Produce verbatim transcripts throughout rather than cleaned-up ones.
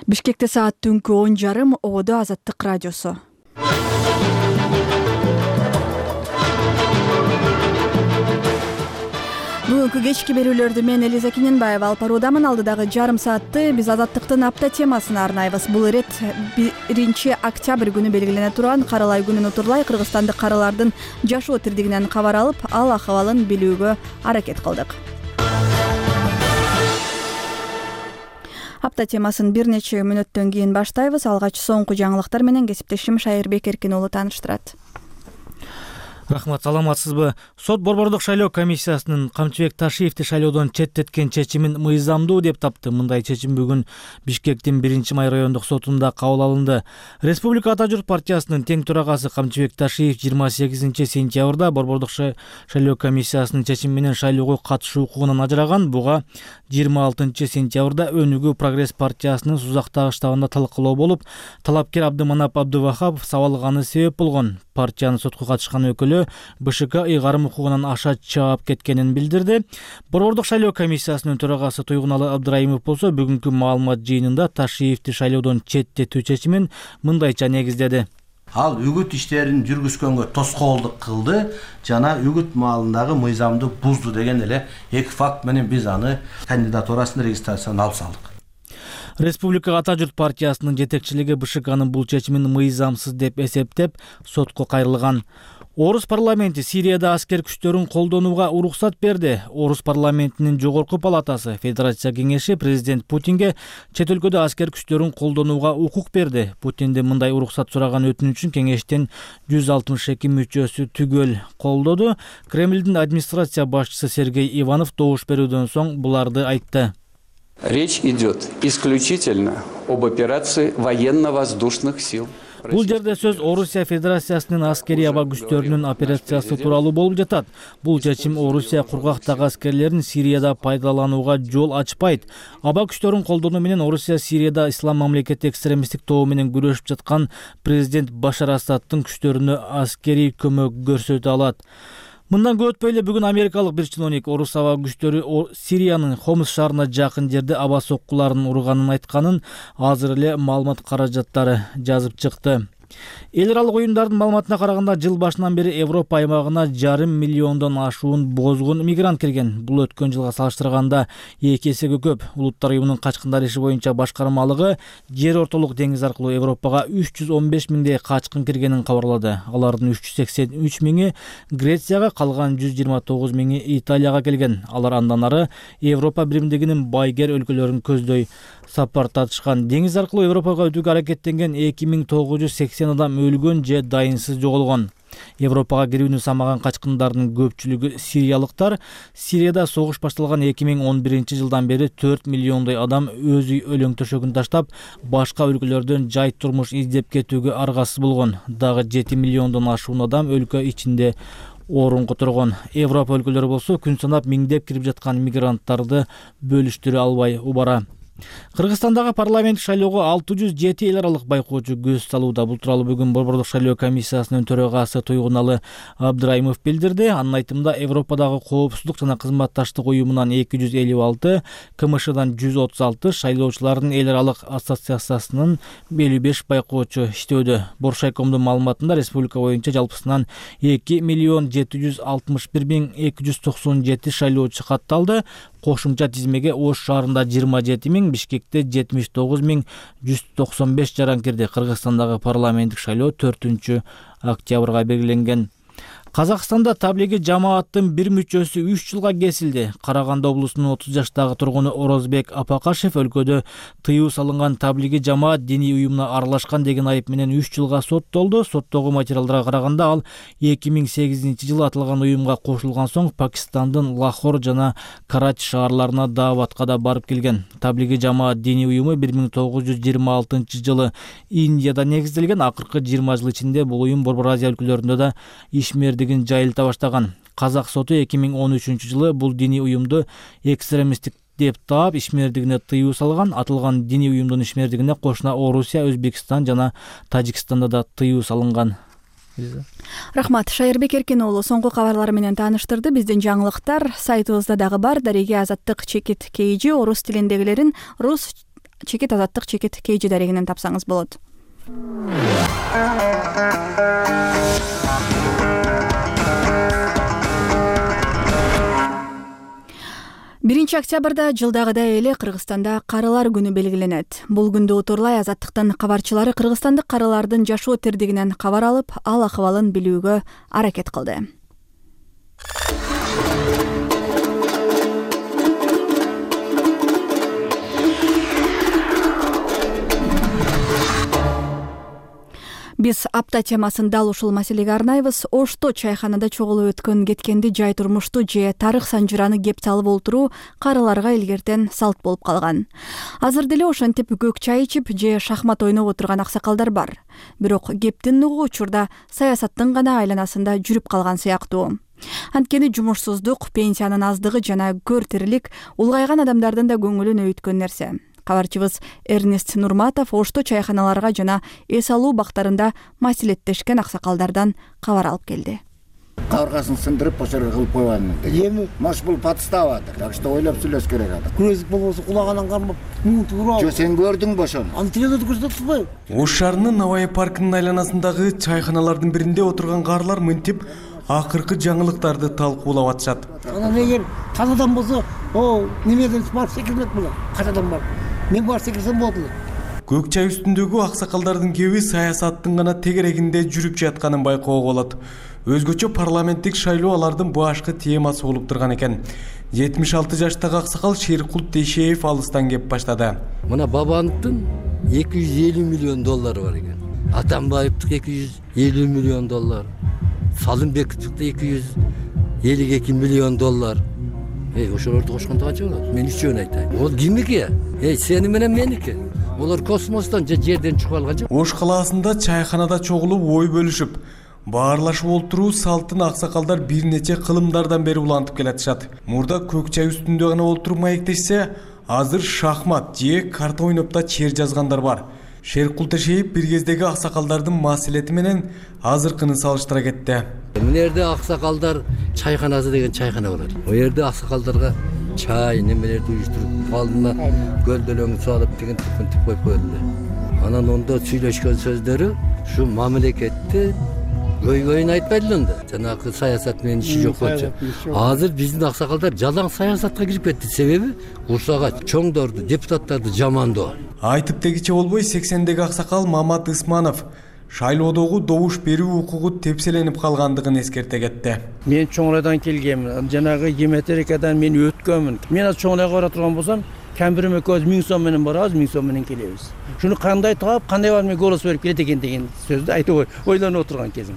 Бишкекте саат түнкү он жарым, ободо Азаттык радиосу. Бүгүнкү кечки берүүлөрдү мен Элиза Кененбаева алып баруудамын. Алдыдагы жарым саатты биз Азаттыктын апта темасына арнайбыз. Бул ирет биринчи октябрь күнү белгилене турган Каралай күнүн утурлай кыргызстандык каралардын жашоо тирдигинен кабар алып, ал акыбалын билүүгө аракет кылдык. Апта темасын бир нече мүнөттөн кийин баштайбыз. Алгач соңку жаңылыктар менен кесиптешим Шайырбек Эркин уулу тааныштырат. Рахмат, саламатсызбы? Сот Борбордук шайлоо комиссиясынын Камчыбек Ташиевди шайлоодон четтеткен чечимин мыйзамдуу деп тапты. Мындай чечим бүгүн Бишкектин биринчи май райондук сотунда кабыл алынды. Республика Ата журт партиясынын тең төрагасы Камчыбек Ташиев жыйырма сегизинчи сентябрда Борбордук шайлоо комиссиясынын чечими менен шайлоого катышуу укугунан ажыраган. Буга жыйырма алтынчы сентябрда Өнүгүү Прогресс партиясынын Сузактагы штабында талкуулоо болуп, талапкер Абдыманап Абдывахапов сабалганы себеп болгон. Партиянын сотко катышкан өкүлү БШК ыйгарым укугунан аша чаап кеткенин билдирди. Борбордук шайлоо комиссиясынын төрагасы Туйгуналы Абдырайымов болсо бүгүнкү маалымат жыйынында Ташиевди шайлоодон четтетүү чечимин мындайча негиздеди. Ал үгүт иштерин жүргүзгөнгө тоскоолдук кылды жана үгүт маалындагы мыйзамды бузду деген эле эки факт менен биз аны кандидатурасын регистрацияны алып салдык. Республика Ата журт партиясынын жетекчилиги БШКнын бул чечимин мыйзамсыз деп эсептеп, сотко кайрылган. Орус парламенти Сирияда аскер күчтөрүн колдонууга уруксат берди. Орус парламентинин жогорку палатасы Федерация кеңеши президент Путинге чет өлкөдө аскер күчтөрүн колдонууга укук берди. Путиндин мындай уруксат сураган өтүнүчүн кеңештин жүз алтымыш эки мүчөсү түгөл колдоду. Кремлдин администрация башчысы Сергей Иванов добуш берүүдөн соң буларды айтты. Речь идет исключительно об операции военно-воздушных сил. Бул жерде сөз Орусия Федерациясынын аскери аба күчтөрүнүн операциясы тууралуу болуп жатат. Бул чечим Орусия кургактагы аскерлерин Сирияда пайдаланууга жол ачпайт. Аба күчтөрүн колдонуу менен Орусия Сирияда ислам мамлекети экстремисттик тобу менен күрөшүп жаткан президент Башар Асадтын күчтөрүнө аскерий көмөк көрсөтө алат. Мындан көп өтпөй эле бүгүн америкалык бир чиновник Орус аба күчтөрү Сириянын Хомс шаарына жакын жерде аба соккуларын урганын айтканын азыр эле маалымат каражаттары жазып чыкты. Эл аралык уюмдардын маалыматына караганда жыл башынан бери Европа аймагына жарым миллиондон ашуун бозгун мигрант кирген. Бул өткөн жылга салыштырганда эки эсеге көп. Улуттар уюмунун качкындар иши боюнча башкармалыгы жер ортолук деңиз аркылуу Европага үч жүз он беш миңдей качкын киргенин кабарлады. Алардын үч жүз сексен үч миңи Грецияга, калган жүз жыйырма тогуз миңи Италияга келген. Алар андан ары Европа биримдигинин байгер өлкөлөрүн көздөй сапар татышкан. Деңиз аркылуу Европага өтүүгө аракеттенген эки миң тогуз жүз сексен адам өлгөн же дайынсыз жоголгон. Европага кирүүнү самаган качкындардын көпчүлүгү сириялыктар. Сирияда согуш башталган эки миң он биринчи жылдан бери төрт миллиондой адам өз үй өлөң төшөгүн таштап, башка өлкөлөрдөн жай турмуш издеп кетүүгө аргасыз болгон. Дагы жети миллиондон ашуун адам өлкө ичинде орун которгон. Европа өлкөлөрү болсо күн санап миңдеп кирип жаткан мигранттарды бөлүштүрө албай убара. Кыргызстандагы парламент шайлоого алты жүз жети эл аралык байкоочу көз салууда. Бул тууралуу бүгүн Борбордук шайлоо комиссиясынын төрагасы Туйгуналы Абдырайымов билдирди. Анын айтымында Европадагы коопсуздук жана кызматташтык уюмунан эки жүз элүү алты, КМШдан жүз отуз алты, шайлоочулардын эл аралык ассоциациясынын элүү беш байкоочу иштөөдө. Боршайкомдун маалыматында республика боюнча жалпысынан эки миллион жети жүз алтымыш бир миң эки жүз токсон жети шайлоочу катталды. Кошумча тизмеге Ош шаарында жыйырма жети миң, Бишкекте жетимиш тогуз миң жүз токсон беш жаран кирди. Кыргызстандагы парламенттик шайлоо төртүнчү октябрга белгиленген. Казакстанда таблиги жамааттын бир мүчөсү үч жылга кесилди. Караганды облусунун отуз жаштагы тургуну Орозбек Апакашев өлкөдө тыюу салынган таблиги жамаат диний уюмуна аралашкан деген айып менен үч жылга соттолду. Соттогу материалдарга караганда ал эки миң сегизинчи жылы аталган уюмга кошулган соң Пакистандын Лахор жана Карачи шаарларына дааватка да барып келген. Таблиги жамаат диний уюму бир миң тогуз жүз жыйырма алтынчы жылы Индияда негизделген. Акыркы жыйырма жыл ичинде бул уюм Борбор Азия өлкөлөрүндө да ишмер жайылта баштаган. Казак соту эки миң он үчүнчү жылы бул диний уюмду экстремисттик деп таап ишмердигине тыюу салган. Атылган диний уюмдун ишмердигине кошуна Орусия, Өзбекстан жана Тажикстанда да тыюу салынган. Рахмат, Шайырбек Эркин уулу соңку кабарлар менен тааныштырды. Биздин жаңылыктар сайтыбызда дагы бар. Дареге Азаттык чекит кейжи орус тилиндегилерин рус чекит азаттык чекит kg дарегинен тапсаңыз болот. биринчи октябрда жылдагыдай эле Кыргызстанда карылар күнү белгиленет. Бул күндө утурлай азаттыктын кабарчылары кыргызстандык карылардын жашоо тирдигинен кабар алып, ал акыбалын билүүгө аракет кылды. Биз апта темасын дал ушул маселеге арнайбыз. Ошто чайханада чогулуп өткөн кеткенди жай турмушту же тарых санжыраны кеп салып олтуруу карыларга илгертен салт болуп калган. Азыр деле ошентип көк чай ичип же шахмат ойноп отурган аксакалдар бар. Бирок кептин нугу учурда саясаттын гана айланасында жүрүп калган сыяктуу. Анткени жумушсуздук, пенсиянын аздыгы жана көр тирилик улгайган адамдардын да көңүлүн өйткөн нерсе. Кабарчыбыз Эрнест Нурматов ошто чайханаларга жана эс алуу бактарында маселеттешкен аксакалдардан кабар алып келди. Кабыргасын сындырып, ошол жерге кылып койган. Эми маш бул патыстап атат. Так что ойлоп сүйлөш керек атат. Күрөзүк болбосо кулаганан кармап, муң туурап. Жо сен көрдүңбү ошону? Аны телевизордо көрсөтүппү? Ош шаарынын Навай паркынын айланасындагы чайханалардын биринде отурган карлар мынтип акыркы жаңылыктарды талкуулап атышат. Анан эгер тазадан болсо, о, немеден барып секирмек болот. Качадан барып. Мен барып секирсем болот эле. Көк чай үстүндөгү аксакалдардын кеби саясаттын гана тегерегинде жүрүп жатканын байкоого болот. Өзгөчө парламенттик шайлоо алардын башкы темасы болуп турган экен. жетимиш алты жаштагы аксакал Шеркулт Тейшеев алыстан кеп баштады. Мына Бабановдун эки жүз элүү миллион доллары бар экен. Атамбаевдин эки жүз элүү миллион доллар. Салымбековдун эки жүз элүү эки миллион доллар. Эй, ошолорду кошкондо канча болот? Мен үчөөнү айтайын. Ол кимники? Эй, сени менен меники. Олар космостон же жерден чыгып алган жок. Ош калаасында чайханада чогулуп ой бөлүшүп, баарлашып олтуруу салтын аксакалдар бир нече кылымдардан бери улантып келатышат. Мурда көк чай үстүндө гана олтуруп маектешсе, азыр шахмат же карта ойноп да чер жазгандар бар. Шеркулт Тейшеев бир кездеги аксакалдардын маселети менен азыркыны салыштыра кетти. Мына жерде аксакалдар чайханасы деген чайхана болот. О жерде аксакалдарга чай немелерди уюштуруп, алдына көлдөлөң салып деген типин коюп койду. Анан ондо сүйлөшкөн сөздөрү ушу мамлекетти көйгөйүн айтпайдылы да. Жанагы саясат менен иши жок болчу. Азыр биздин аксакалдар жалаң саясатка кирип кетти. Себеби курсага чоңдорду, депутаттарды жамандоо. Айтып дегиче болбой сексендеги аксакал Мамат Ысманов шайлоодогу добуш берүү укугу тепселенип калгандыгын эскерте кетти. Мен чоңрайдан келгенмин. Жанагы геометрикадан мен өткөнмүн. Мен аз чоңрайга бара турган болсам, камбирим экөөбүз миң сом менен барабыз, миң сом менен келебиз. Шуну кандай таап, кандай барып мен голос берип келет экен деген сөздү айтып ойлонуп отурган кезим.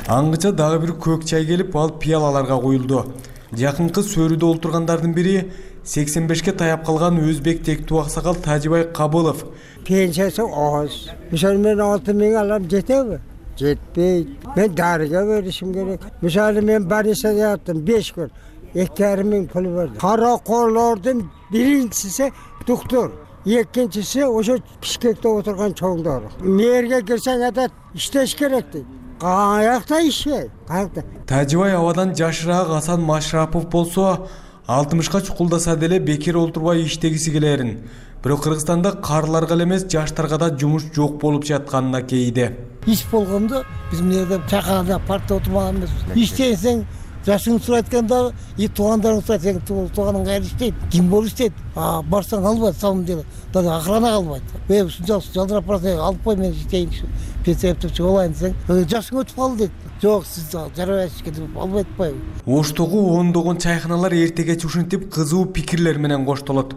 Аңгыча дагы бир көк чай келип, ал пиялаларга коюлду. Жакынкы сөрүдө олтургандардын бири сексен бешке таяп калган өзбек тектүү аксакал Тажибай Кабылов. Пенсиясы аз. Мисалы мен алты миң алам, жетеби? Жетпейт. Мен дарыга беришим керек. Мисалы мен больницада яттым беш күн. эки жарым миң пул берди. Каракорлордун биринчиси доктор, экинчиси ошо Бишкекте отурган чоңдор. Мэрге кирсең атат, иштеш керек дейт. Каякта ишей? Каякта? Тажибай абадан жашыраак Асан Машрапов болсо, алтымышка чукулдаса деле бекер олтурбай иштегиси келерин. Бирок Кыргызстанда карларга эле эмес, жаштарга да жумуш жок болуп жатканына кейиди. Иш болгондо биз мына жерде чакырда партия отурмаган эмеспиз. Иштесең жашыңды сурайт экен, и туугандарыңды сурайт экен, тууганың кайда иштейт, ким болуп иштейт? А барсаң албайт, самым деле. Дагы охрана албайт. Эй, ушунчалык жалдырап барсаң, алып кой, мен иштейинчи. Пенсия өтүп болайын десең, жашың өтүп калды дейт. Жок, сиз жарабайсыз деп албай атпайбы. Оштогу ондогон чайханалар эртеге ушинтип кызуу пикирлер менен коштолот.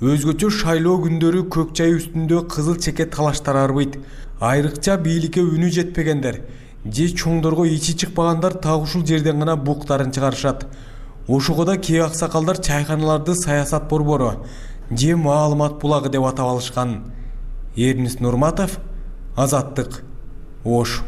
Өзгөчө шайлоо күндөрү көк чай үстүндө кызыл чеке талаштар арбыйт. Айрыкча бийликке үнү жетпегендер же чоңдорго ичи чыкпагандар так ушул жерден гана буктарын чыгарышат. Ошого да кээ аксакалдар чайханаларды саясат борбору же маалымат булагы деп атап алышкан. Эрнест Нурматов, Азаттык, Ош.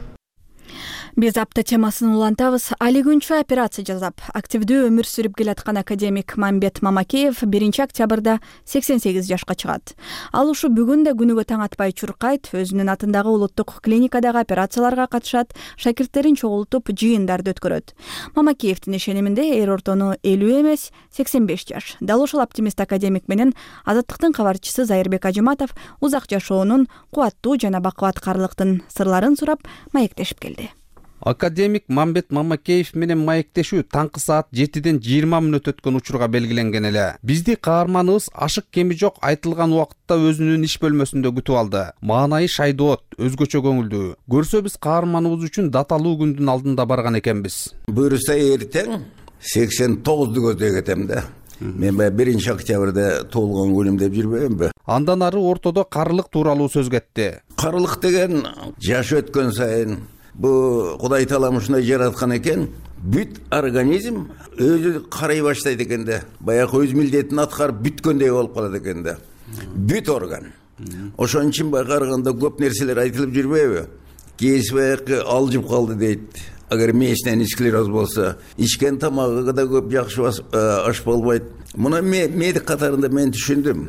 Биз апта темасын улантабыз. Али күнчө операция жасап, активдүү өмүр сүрүп келаткан академик Мамбет Мамакеев биринчи октябрда сексен сегиз жашка чыгат. Ал ушу бүгүн да күнүгө таң атпай чуркайт, өзүнүн атындагы улуттук клиникадагы операцияларга катышат, шакирттерин чогултуп жыйындарды өткөрөт. Мамакеевдин ишениминде эр ортону элүү эмес, сексен беш жаш. Дал ошол оптимист академик менен Азаттыктын кабарчысы Зайырбек Ажыматов узак жашоонун, кубаттуу жана бакубаткарлыктын сырларын сурап маектешип келди. Академик Мамбет Мамакеев менен маектешүү таңкы саат жетиден жыйырма мүнөт өткөн учурга белгиленген эле. Бизди каарманыбыз ашык кеми жок айтылган убакытта өзүнүн иш бөлмөсүндө күтүп алды. Маанайы шайдоот, өзгөчө көңүлдүү. Көрсө биз каарманыбыз үчүн даталуу күндүн алдында барган экенбиз. Буюрса эртең сексен тогузду көздөй кетем да. Мен биринчи октябрда туулган күнүм деп жүрбөймбү? Андан ары ортодо карылык тууралуу сөз кетти. Карылык деген жаш өткөн сайын бу Кудай таалам ушундай жараткан экен, бүт организм өзү карай баштайт экен да. Баягы өз милдетин аткарып бүткөндөй болуп калат экен да. Бүт орган. Ошон үчүн караганда көп нерселер айтылып жүрбөйбү? Кээси баягы алжып калды дейт. Агар мээчтен склероз болсо, ичкен тамагы да көп жакшы аш болбойт. Муну медик катарында мен түшүндүм.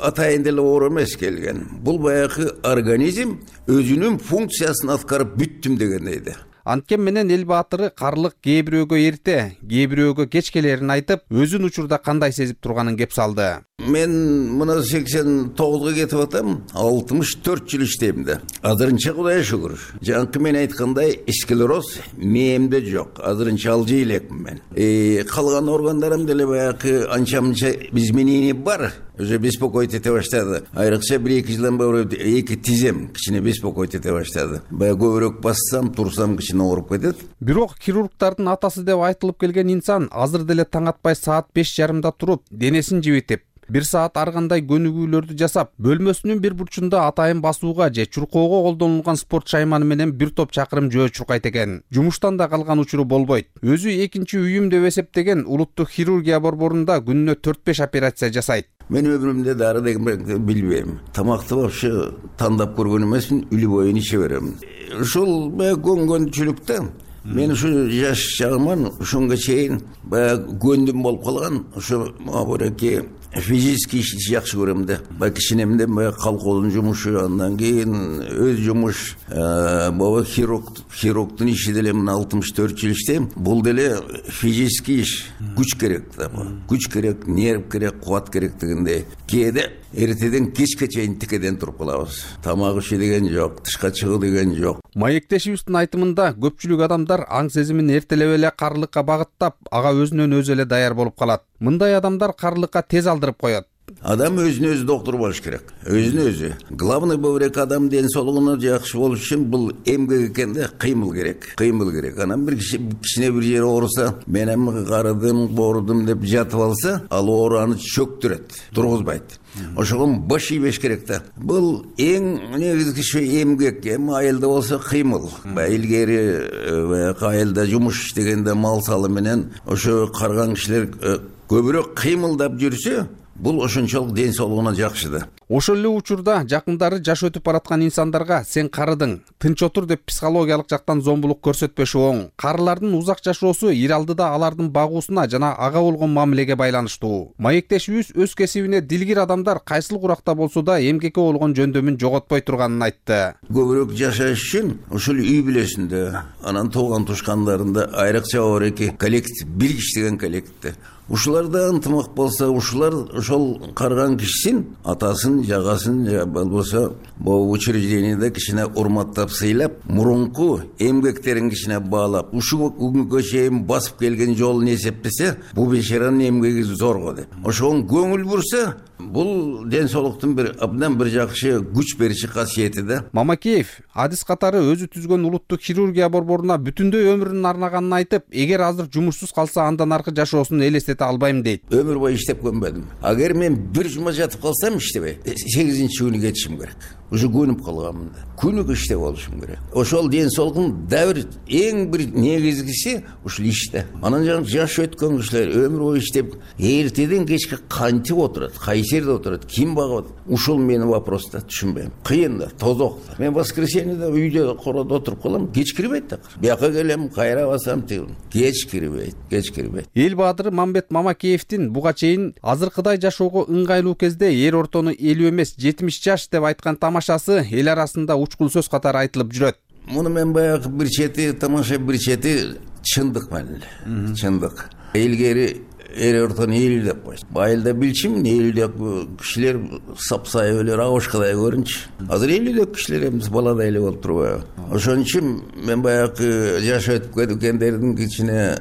Атайын деле оор эмес келген. Бул баягы организм өзүнүн функциясын аткарып бүттүм дегендей да. Анткени менен эл баатыры карлык кээ бирөөгө эрте, кээ бирөөгө кеч келерин айтып, өзүн учурда кандай сезип турганын кеп салды. Мен мына сексен тогузга кетип атам, алтымыш төрт жыл иштейм да. Азырынча Кудайга шүгүр. Жанкы мен айткандай, склероз мээмде жок. Азырынча алжый элекмин мен. Э, калган органдарым деле баягы анча-мынча изменение бар. Уже беспокоить эте баштады. Айрыкча бир-эки жылдан бери эки тизем кичине беспокоить эте баштады. Баягы көбүрөөк бассам, турсам кичине ооруп кетет. Бирок хирургдардын атасы деп айтылып келген инсан азыр деле таң атпай саат беш жарымда туруп, денесин жибитип, бир саат аргандай көнүгүүлөрдү жасап, бөлмөсүнүн бир бурчунда атайын басууга же чуркоого колдонулган спорт шайманы менен бир топ чакырым жөө чуркайт экен. Жумуштан да калган учуру болбойт. Өзү экинчи үйүм деп эсептеген улуттук хирургия борборунда күнүнө төрт беш операция жасайт. Мен өмүрүмдө дары деген билбейм. Тамакты вообще тандап көргөн эмесмин, үлү боюн иче берем. Ушул көнгөнчүлүктө мен ушу жаш чагыман ушунга чейин баягы көндүм болуп калган. Ушу мабуреки физический ишти жакшы көрөм да. Баягы кичинемден баягы колхоздун жумушу, андан кийин өз жумуш, баба хирург, хирургдун иши деле мен алтымыш төрт жыл иштейм. Бул деле физический иш, күч керек да. Күч керек, нерв керек, кубат керек дегендей. Кээде эртеден кечке чейин тикеден туруп калабыз. Тамак иши деген жок, тышка чыгуу деген жок. Маектешибиздин айтымында көпчүлүк адамдар аң сезимин эртелеп эле карлыкка багыттап, ага өзүнөн өзү эле даяр болуп калат. Мындай адамдар карлыкка тез алдырып коет. Адам өзүнө өзү доктор болуш керек. Өзүнө өзү. Главный бөбүрөк адам ден соолугуна жакшы болуш үчүн бул эмгек экен да, кыймыл керек. Кыймыл керек. Анан бир киши кичине бир жери ооруса, мен эми карыдым, боордум деп жатып алса, ал оораны чөктүрөт, тургузбайт. Ошого баш ийбеш керек да. Бул эң негизги шу эмгек, эми айылда болсо кыймыл. Илгери айылда жумуш иштегенде мал салы менен ошо карган кишилер көбүрөөк кыймылдап жүрсө, бул ошончолук ден соолугуна жакшы да. Ошол эле учурда жакындары жаш өтүп бараткан инсандарга сен карыдың, тынч отур деп психологиялык жактан зомбулук көрсөтпөшү оң. Карылардын узак жашоосу ир алдыда алардын багуусуна жана ага болгон мамилеге байланыштуу. Маектешибиз өз кесибине дилгир адамдар кайсыл куракта болсо да эмгекке болгон жөндөмүн жоготпой турганын айтты. Көбүрөөк жашаш үчүн ушул үй бүлөсүндө, анан тууган тушкандарында айрыкча оореки коллектив, бир киши деген коллективде ушуларда ынтымак болсо, ушулар ошол карган кишисин, атасын, жагасын, же болбосо могу учреждениеде кичине урматтап, сыйлап, мурунку эмгектерин кичине баалап, ушул күнгө чейин басып келген жолун эсептесе, бул бешаранын эмгеги зорго деп. Ошого көңүл бурса, бул ден соолуктун бир абдан бир жакшы күч бериши касиети да. Мамакеев адис катары өзү түзгөн улуттук хирургия борборуна бүтүндөй өмүрүн арнаганын айтып, эгер азыр жумушсуз калса андан аркы жашоосун элестете албайм дейт. Өмүр бою иштеп көнбөдүм. Агер мен бир жума жатып калсам иштебей, сегизинчи күнү кетишим керек. уже көнүп калганмын да. Күнүк иште болушум керек. Ошол ден соолугун дабыр эң бир негизгиси ушул иште. Анан жаңы жаш өткөн кишилер өмүр бою иштеп эртеден кечке кантип отурат, кайсы жерде отурат, ким багат? Ушул менин вопрос да, түшүнбөйм. Кыйын да, тозок да. Мен воскресеньеде үйдө короодо отуруп калам, кеч кирбейт да. Бияка келем, кайра басам, кеч кирбейт, кеч кирбейт. Эл баадыры Мамбет Мамакеевдин буга чейин азыркыдай жашоого ыңгайлуу кезде эр ортону элүү эмес жетимиш жаш деп айткан тамашасы эл арасында учкул сөз катары айтылып жүрөт. Муну мен баягы бир чети тамаша, бир чети чындык менен эле. Чындык. Илгери эр ортону элүү деп койчу. Байылда билчимин, элүүдөгү кишилер сапсайып эле рабошкадай көрүнчү. Азыр элүүдөгү кишилер эмес баладай эле болуп турбайбы? Ошон үчүн мен баягы жаш өтүп кеткендердин кичине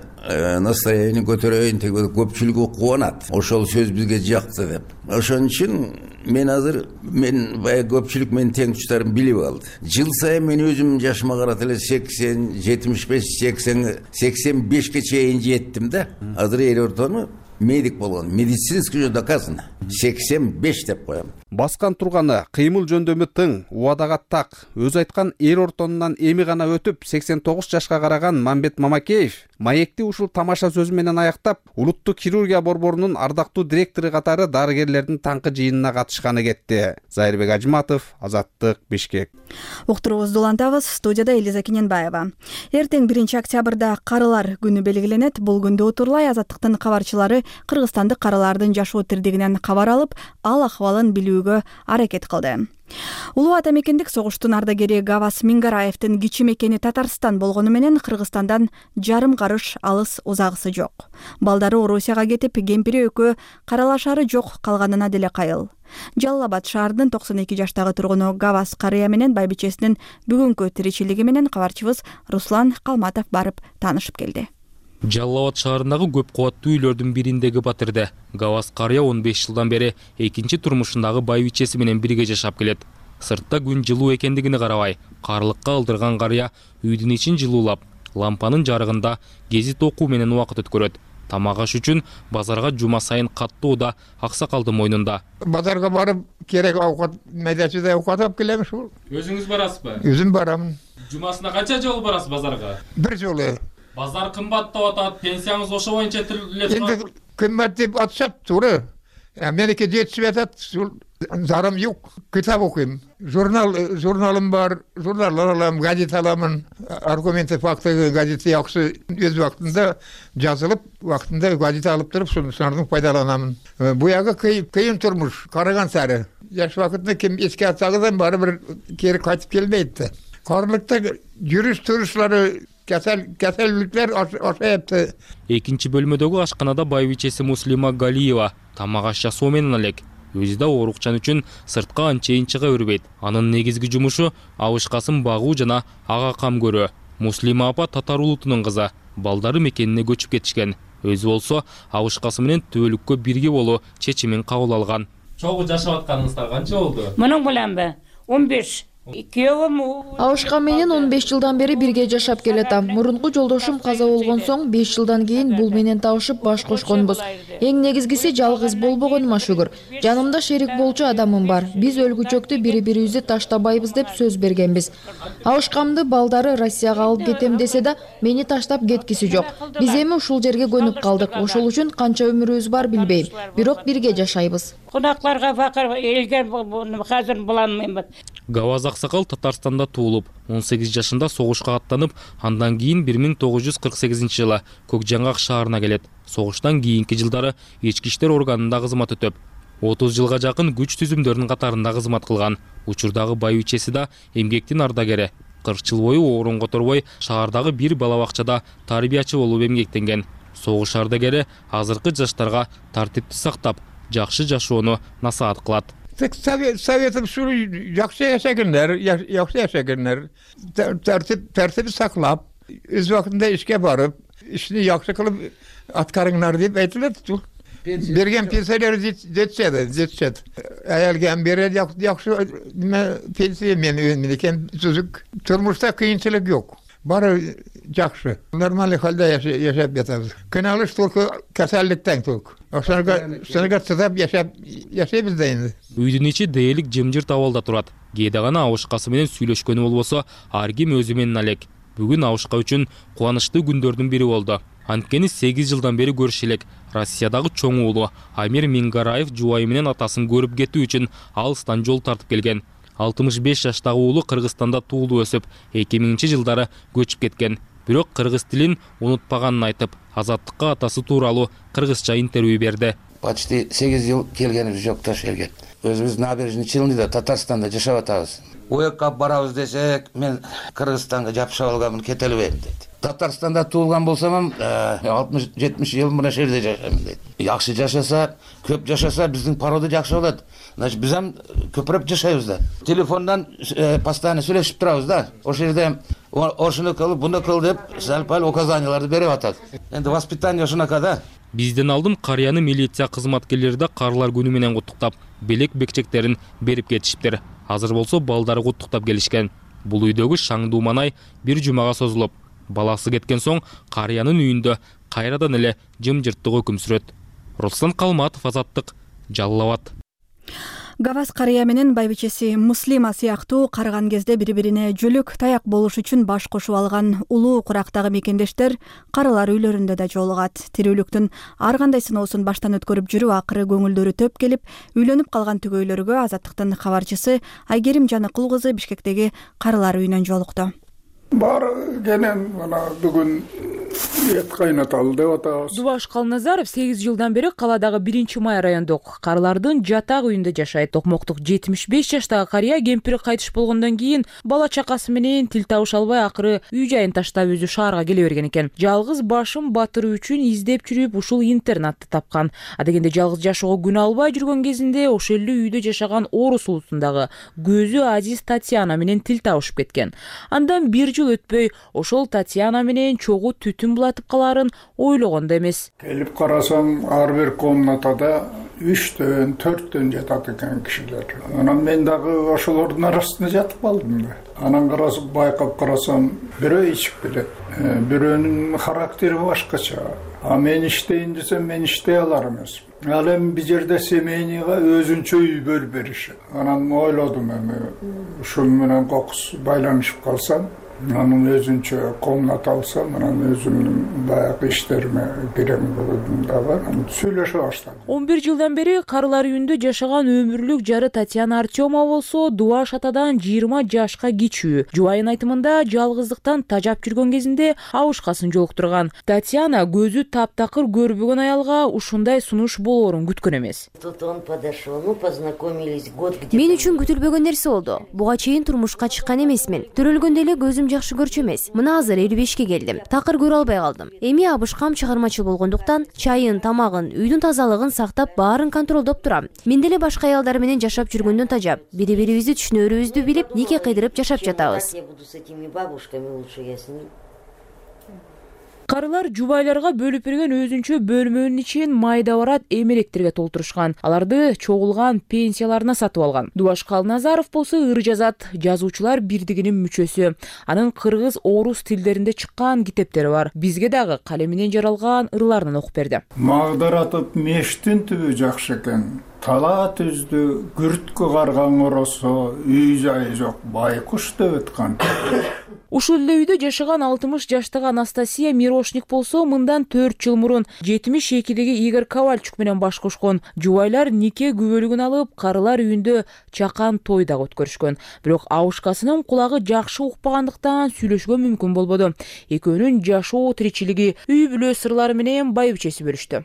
настроение көтөрөйүн деп көпчүлүгү кубанат. Ошол сөз бизге жакты деп. Ошон үчүн мен азыр мен баягы көпчүлүк менин теңдештерим билип алды. Жыл сайын мен өзүм жашыма карата эле сексен, жетимиш беш, сексен, сексен бешке чейин жеттим да. Азыр эр ортону медик болгон, медицинский уже доказано. сексен беш деп коем. Баскан турганы кыймыл жөндөмү тың, убадага так. Өз айткан эр ортонунан эми гана өтүп сексен тогуз жашка караган Мамбет Мамакеев маекти ушул тамаша сөзү менен аяктап, улуттук хирургия борборунун ардактуу директору катары дарыгерлердин таңкы жыйынына катышканы кетти. Зайырбек Ажматов, Азаттык, Бишкек. Уктуруубузду улантабыз. Студияда Элиза Кененбаева. Эртең биринчи октябрда карылар күнү белгиленет. Бул күндө утурлай Азаттыктын кабарчылары кыргызстандык карылардын жашоо тирдигинен кабар алып, ал акыбалын билүүгө аракет кылды. Улуу ата мекендик согуштун ардагери Гавас Мингараевдин кичи мекени Татарстан болгону менен Кыргызстандан жарым карыш алыс узагысы жок. Балдары Орусияга кетип, кемпири экөө каралашары жок калганына деле кайыл. Жалал Абад шаарынын токсон эки жаштагы тургуну Гавас карыя менен байбичесинин бүгүнкү тиричилиги менен кабарчыбыз Руслан Калматов барып таанышып келди. Жалал Абад шаарындагы көп кубаттуу үйлөрдүн бириндеги батирде Гавас карыя он беш жылдан бери экинчи турмушундагы байбичеси менен бирге жашап келет. Сыртта күн жылуу экендигине карабай, карлыкка алдырган карыя үйдүн ичин жылуулап, лампанын жарыгында гезит окуу менен убакыт өткөрөт. Тамак аш үчүн базарга жума сайын каттуу да аксакалдын мойнунда. Базарга барып керек аукат медачыдай аукат алып келем ушул. Өзүңүз барасызбы? Өзүм барамын. Жумасына канча жолу барасыз базарга? Бир жолу. Базар кымбаттап атат, пенсияңыз ошо боюнча төлөп турат. Энди кымбат деп атышат, туура. Меники жетишип атат, зарым жок. Китап окуйм. Журнал, журналым бар, журналдар алам, газет аламын. Аргументы, факты газети жакшы өз убактында жазылып, убактында газет алып туруп, шунун пайдаланамын. Буягы кыйын турмуш, караган сары. Жаш убакытында ким эске атсагыздан бары бир кери кайтып келбейт да. Карлыкта жүрүш турушлары Кесел, кеселдиктер ашайыпты. Экинчи бөлмөдөгү ашканада байбичеси Муслима Галиева тамак аш жасоо менен элек. Өзү да оорукчан үчүн сыртка анчейин чыга бербейт. Анын негизги жумушу абышкасын багуу жана ага кам көрүү. Муслима апа татар улутунун кызы. Балдары мекенине көчүп кетишкен. Өзү болсо абышкасы менен түбөлүккө бирге болуу чечимин кабыл алган. Чогуу жашап атканыңыздар канча болду? Мунун мененби? он беш. Абышка менен он беш жылдан бери бирге жашап келатам. Мурунку жолдошум каза болгон соң беш жылдан кийин бул менен табышып баш кошконбуз. Эң негизгиси жалгыз болбогонума шүгүр. Жанымда шерик болчу адамым бар. Биз өлгүчөктү бири-бирибизди таштабайбыз деп сөз бергенбиз. Абышкамды балдары Россияга алып кетем десе да, мени таштап кеткиси жок. Биз эми ушул жерге көнүп калдык. Ошол үчүн канча өмүрүбүз бар билбейм. Бирок бирге жашайбыз. Кунакларга факыр элге азыр буланмайм. Гаваз аксакал Татарстанда туулуп, он сегиз жашында согушка аттанып, андан кийин бир миң тогуз жүз кырк сегизинчи жылы Көкжаңгак шаарына келет. Согуштан кийинки жылдары ички иштер органында кызмат өтөп, отуз жылга жакын күч түзүмдөрүнүн катарында кызмат кылган. Учурдагы байбичеси да эмгектин ардагери. кырк жыл бою орун которбой шаардагы бир бала бакчада тарбиячы болуп эмгектенген. Согуш ардагери азыркы жаштарга тартипти сактап, жакшы жашоону насаат кылат. Советим şu жақсы yaşagınlar, жақсы yaşagınlar. Tertibi saklap, öz vaktinde işe barıp, işini жақсы kılıp atkarınlar deyip aytılır. Bergen pensiyaları жетişedi, жетişedi. Ayalgen beri жақсы pensiya men önümdeyken çocuk turmuşta kıyınçılık yok. Bari жақсы. Normal halde yaşayıp yatırız. Kınalış tulku kasallıktan tulku. Sonra çıtap yaşayıp yaşayıp da endi. Үйдүн ичи дээрлик жемжирт абалда турат. кээде гана абышкасы менен сүйлөшкөнү болбосо ар ким өзү менен алек. Бүгүн абышка үчүн кубанычтуу күндөрдүн бири болду. Анткени сегиз жылдан бери көрүшө элек. Россиядагы чоң уулу Амир Мингараев жубайы менен атасын көрүп кетүү үчүн алыстан жол тартып келген. алтымыш беш жаштагы уулу Кыргызстанда туулуп өсүп, эки миңинчи жылдары көчүп кеткен. Бирок кыргыз тилин унутпаганын айтып, азаттыкка атасы тууралуу кыргызча интервью берди. Почти сегиз жыл келгенибиз жок тош элге. Өзүбүз набережный Челныйда, Татарстанда жашап атабыз. Уякка барабыз десек, мен Кыргызстанга жапышып алганмын, кете албайм дейт. Татарстанда туулган болсам, алтымыш жетимиш жыл мына жерде жашайм дейт. Жакшы жашаса, көп жашаса биздин порода жакшы болот. Значит, биз ham көпүрөп жашайбыз да. Телефондан постоянно сүйлөшүп турабыз да. Ошол жерде ошону кыл, буну кыл деп сал-пал указанияларды берип атат. Энди воспитание ошонака да. Бизден алдым карыяны милиция кызматкерлери да карылар күнү менен куттуктап, белек бекчектерин берип кетишиптир. Азыр болсо балдары куттуктап келишкен. Бул үйдөгү шаңдуу маанай бир жумага созулуп, баласы кеткен соң карыянын үйүндө кайрадан эле жымжырттык өкүм сүрөт. Руслан Калматов, Азаттык, Жалал Абад. Гаваз карыя менен байбичеси Муслима сыяктуу карыган кезде бири-бирине жөлөк таяк болуш үчүн баш кошуп алган улуу курактагы мекендештер карылар үйлөрүндө да жолугат. Тирүүлүктүн ар кандай сыноосун баштан өткөрүп жүрүп, акыры көңүлдөрү төп келип, үйлөнүп калган түгөйлөргө Азаттыктын кабарчысы Айгерим Жаныкул кызы Бишкектеги карылар үйүнөн жолукту. Бар кенен мына бүгүн эт кайнаталы деп атабыз. Дубаш Калназаров сегиз жылдан бери каладагы биринчи май райондук карылардын жатак үйүндө жашайт. Токмоктук жетимиш беш жаштагы карыя кемпири кайтыш болгондон кийин бала чакасы менен тил табыша албай акыры үй жайын таштап өзү шаарга келе берген экен. Жалгыз башым батыруу үчүн издеп жүрүп ушул интернатты тапкан. Адегенде жалгыз жашоого күнөө албай жүргөн кезинде ошол эле үйдө жашаган орус улусундагы көзү азиз Татьяна менен тил табышып кеткен. Андан бир жыл өтпөй ошол Татьяна менен чогуу түтүн булатып каларын ойлогон да эмес. Келип карасам, ар бир комнатада үчтөн, төрттөн жатат экен кишилер. Анан мен дагы ошолордун арасында жатып калдым да. Анан карасып, байкап карасам, бирөө ичип келет. Бирөөнүн характери башкача. А мен иштейин десем, мен иштей алар эмес. Ал эми бир жерде семейныйга өзүнчө үй бөлүп беришет. Анан ойлодум эми ушул менен кокус байланышып калсам, анын өзүнчө комната алсам, анан өзүмдүн баягы иштериме кирем болдум да бар, сүйлөшө баштадым. он бир жылдан бери карылар үйүндө жашаган өмүрлүк жары Татьяна Артёмова болсо Дубаш атадан жыйырма жашка кичүү. Жубайынын айтымында жалгыздыктан тажап жүргөн кезинде абышкасын жолуктурган. Татьяна көзү таптакыр көрбөгөн аялга ушундай сунуш болоорун күткөн эмес. Мен үчүн күтүлбөгөн нерсе болду. Буга чейин турмушка чыккан эмесмин. Төрөлгөндө эле көзүм жакшы көрчү эмес. Мына азыр элүү бешке келдим. Такыр көрө албай калдым. Эми абышкам чыгармачыл болгондуктан чайын, тамагын, үйдүн тазалыгын сактап, баарын контролдоп турам. Мен деле башка аялдар менен жашап жүргөндөн тажап, бири-бирибизди түшүнөрүбүздү билип, нике кыйдырып жашап жатабыз. Карылар жубайларга бөлүп берген өзүнчө бөлмөнүн ичин майда барат эмеректерге толтурушкан. Аларды чогулган пенсияларына сатып алган. Дубаш Калназаров болсо ыр жазат, жазуучулар бирдигинин мүчөсү. Анын кыргыз, орус тилдеринде чыккан китептери бар. Бизге дагы калем менен жаралган ырларынан окуп берди. Магдаратып мештин түбү жакшы экен. Тала түздү, күрткө карган оросо, үй жайы жок, байкуш деп өткөн. Ушул эле үйдө жашаган алтымыш жаштагы Анастасия Мирошник болсо мындан төрт жыл мурун жетимиш экидеги Игорь Ковальчук менен баш кошкон. Жубайлар нике күбөлүгүн алып, карылар үйүндө чакан той да өткөрүшкөн. Бирок абышкасынын кулагы жакшы укпагандыктан сүйлөшкөн мүмкүн болбоду. Экөөнүн жашоо тиричилиги, үй бүлө сырлары менен байбичеси бөлүштү.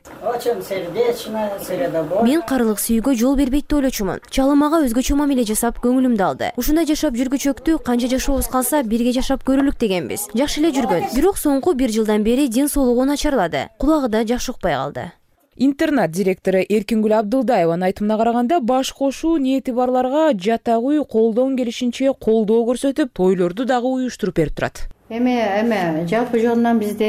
Мен карылык сүйүүгө жол бербейт деп ойлочумун. Чалымага өзгөчө мамиле жасап көңүлүмдү алды. Ушундай жашап жүргүчөктү канча жашообуз калса бирге жашап көрөлүк дегенбиз. Жакшы эле жүргөн. Бирок соңку бир жылдан бери ден соолугу начарлады. Кулагы да жакшы укпай калды. Интернат директору Эркингүл Абдылдаеванын айтымына караганда, баш кошуу ниети барларга жатак үй колдон келишинче колдоо көрсөтүп, тойлорду дагы уюштуруп берип турат. Эме эме жалпы жонунан бизде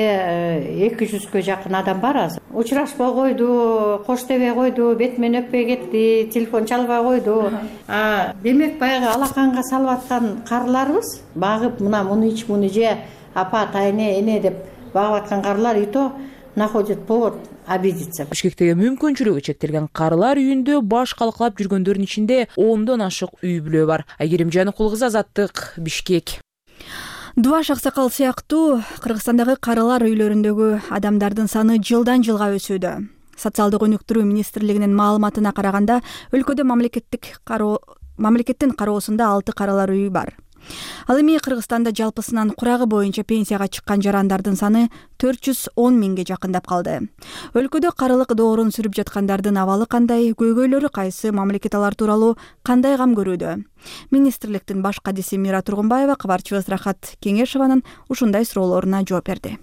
эки жүзгө жакын адам бар азыр. Учурашпай койду, кош дебей койду, бет менен өппөй кетти, телефон чалбай койду. А демек баягы алаканга салып аткан карыларыбыз багып, мына муну ич, муну же, апа, тайне, эне деп багып аткан карылар и то находит повод обидеться. Бишкектеги мүмкүнчүлүгү чектелген карылар үйүндө баш калкалап жүргөндөрдүн ичинде ондон ашык үй бүлө бар. Айгерим Жаныкул кызы, Азаттык, Бишкек. Дубаш Аксакал сыяктуу Кыргызстандагы карылар үйлөрүндөгү адамдардын саны жылдан жылга өсүүдө. Социалдык өнүктүрүү министрлигинин маалыматына караганда, өлкөдө мамлекеттик кароо мамлекеттин кароосунда алты карылар үйү бар. Ал эми Кыргызстанда жалпысынан курагы боюнча пенсияга чыккан жарандардын саны төрт жүз он миңге жакындап калды. Өлкөдө карылык доорун сүрүп жаткандардын абалы кандай, көйгөйлөрү кайсы, мамлекет алар тууралуу кандай кам көрүүдө? Министрликтин баш кадиси Мира Тургунбаева кабарчыбыз Рахат Кеңешованын ушундай суроолоруна жооп берди.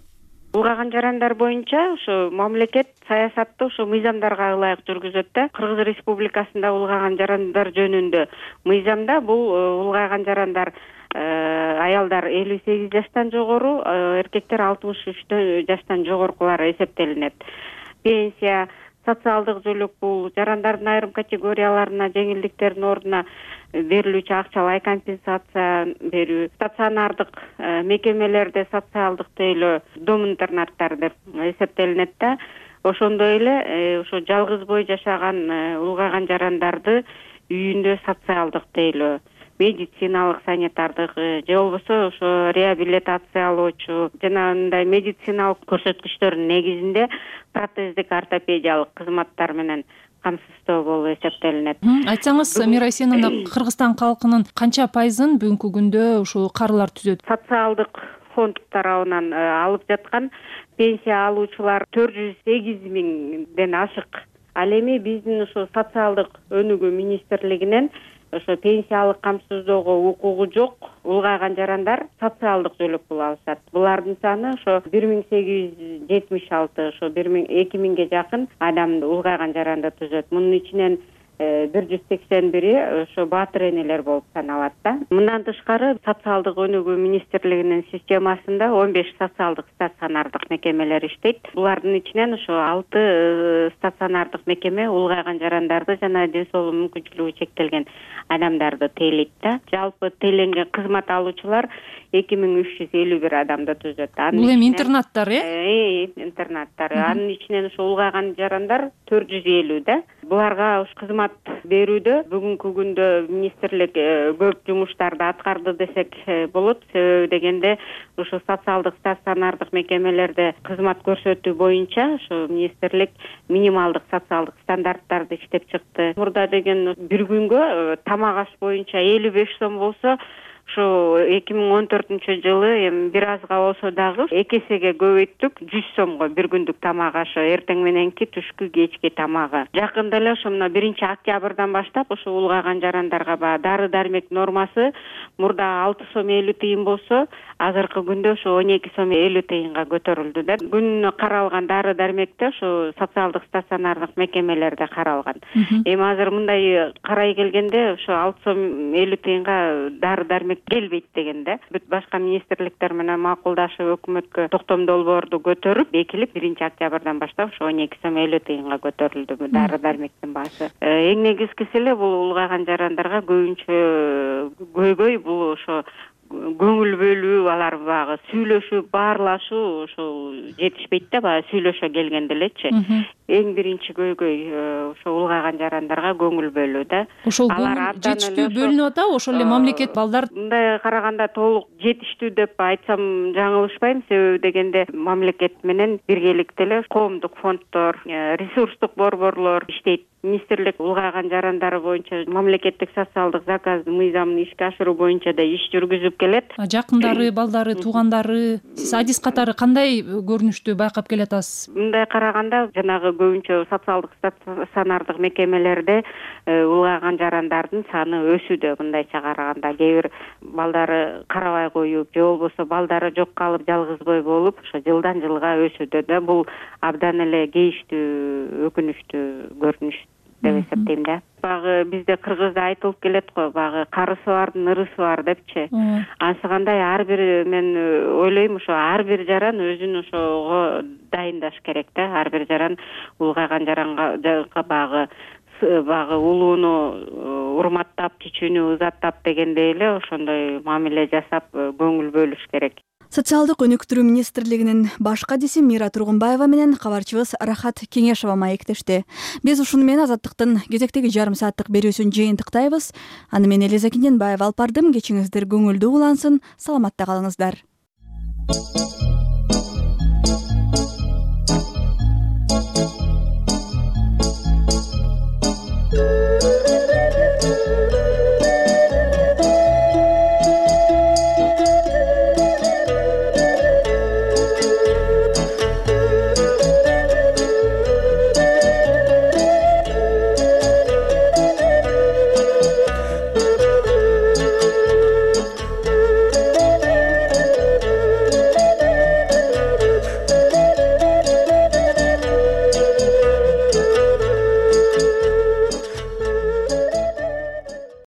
Улгаган жарандар боюнча ушу мамлекет саясатты ушу мыйзамдарга ылайык жүргүзөт да. Кыргыз Республикасында улгаган жарандар жөнүндө мыйзамда бул улгайган жарандар аялдар элүү сегиз жаштан жогору, эркектер алтымыш үч жаштан жогорукулары эсептелинет. Пенсия, социалдык жөлөк бул жарандардын айрым категорияларына жеңилдиктердин ордуна берилүүчү акчалай компенсация берүү, стационардык мекемелерде социалдык тейлөө, дом интернаттар деп эсептелинет да. Ошондой эле ошо жалгыз бой жашаган улгайган жарандарды үйүндө социалдык тейлөө, медициналык, санитардык же болбосо ошо реабилитациялоочу жана мындай медициналык көрсөткүчтөрдүн негизинде протездик ортопедиялык кызматтар менен камсыздоо болуп эсептелинет. Айтсаңыз, Мира Эсеновна, Кыргызстан калкынын канча пайызын бүгүнкү күндө ушул карылар түзөт? Социалдык фонд тарабынан алып жаткан пенсия алуучулар төрт жүз сегиз миңден ашык. Ал эми биздин ушул социалдык өнүгүү министрлигинен ошо пенсиялык камсыздоого укугу жок улгайган жарандар социалдык жөлөк пул алышат. Булардын саны ошо бир миң сегиз жүз жетимиш алты, ошо эки миңге жакын адам улгайган жаранды түзөт. Мунун ичинен бир жүз сексен бири ошо баатыр энелер болуп саналат да. Мындан тышкары социалдык өнүгүү министрлигинин системасында он беш социалдык стационардык мекемелер иштейт. Булардын ичинен ошо алты стационардык мекеме улгайган жарандарды жана ден соолук мүмкүнчүлүгү чектелген адамдарды тейлейт да. Жалпы тейлөнген кызмат алуучулар эки миң үч жүз элүү бир адамды түзөт. Бул эми интернаттар, э? Э, интернаттар. Анын ичинен ошо улгайган жарандар төрт жүз элүү да. Буларга уш кызмат берүүдө бүгүнкү күндө министрлик көп жумуштарды аткарды десек болот. Себеби дегенде ушу социалдык стационардык мекемелерде кызмат көрсөтүү боюнча ушу министрлик минималдык социалдык стандарттарды иштеп чыкты. Мурда деген бир күнгө тамак аш боюнча элүү беш сом болсо, ушу эки миң он төртүнчү жылы эми бир азга болсо дагы эки эсеге көбөйттүк, жүз сомго бир күндүк тамак ашы, эртең мененки, түшкү, кечки тамагы. Жакында эле ошо мына биринчи октябрдан баштап ошо улгайган жарандарга баягы дары дармек нормасы мурда алты сом элүү тыйын болсо, азыркы күндө ошо он эки сом элүү тыйынга көтөрүлдү да. Күнүнө каралган дары дармекте ошо социалдык стационардык мекемелерде каралган. Эми азыр мындай карай келгенде ошо алты сом элүү тыйынга дары дармек келбейт дегенде. Бүт башка министрликтер менен макулдашып өкмөткө токтом долбоорду көтөрүп, бекилип биринчи октябрдан баштап ошо он эки сом элүү тыйынга көтөрүлдү дары дармектин баасы. Эң негизгиси эле бул улгайган жарандарга көбүнчө көйгөй бул ошо көңүл бөлүү, алар баягы сүйлөшүп, баарлашуу ошол жетишпейт да, баягы сүйлөшө келгенде элечи. Эң биринчи көйгөй ошо улгайган жарандарга көңүл бөлүү да. Ошол көңүл жетиштүү бөлүнүп атабы? Ошол эле мамлекет балдар мындай караганда толук жетиштүү деп айтсам жаңылышпайм. Себеби дегенде мамлекет менен биргеликте эле коомдук фонддор, ресурстук борборлор иштейт. Министрлик улгайган жарандары боюнча мамлекеттик социалдык заказ мыйзамын ишке ашыруу боюнча да иш жүргүзүп келет. Жакындары, балдары, туугандары, сиз адис катары кандай көрүнүштү байкап келатасыз? Мындай караганда жанагы көбүнчө социалдык стационардык мекемелерде улгайган жарандардын саны өсүүдө. Мындайча караганда кээ бир балдары карабай коюп, же болбосо балдары жок калып жалгыз бой болуп, ошо жылдан жылга өсүүдө да. Бул абдан эле кейиштүү, өкүнүчтүү көрүнүш деп эсептейм да. Багы бизде кыргызда айтылып келет го, багы карысы бардын ырысы бар депчи. Анысы кандай ар бир, мен ойлойм ошо ар бир жаран өзүн ошого дайындаш керек да. Ар бир жаран улгайган жаранга багы багы улууну урматтап, чичүүнү узаттап дегендей эле ошондой мамиле жасап көңүл бөлүш керек. Социалдык өнүктүрүү министрлигинин баш кадиси Мира Тургунбаева менен кабарчыбыз Рахат Кеңешова маектешти. Биз ушуну менен Азаттыктын кезектеги жарым сааттык берүүсүн жыйынтыктайбыз. Аны мен Элиза Киненбаева алып бардым. Кечиңиздер көңүлдүү улансын. Саламатта калыңыздар.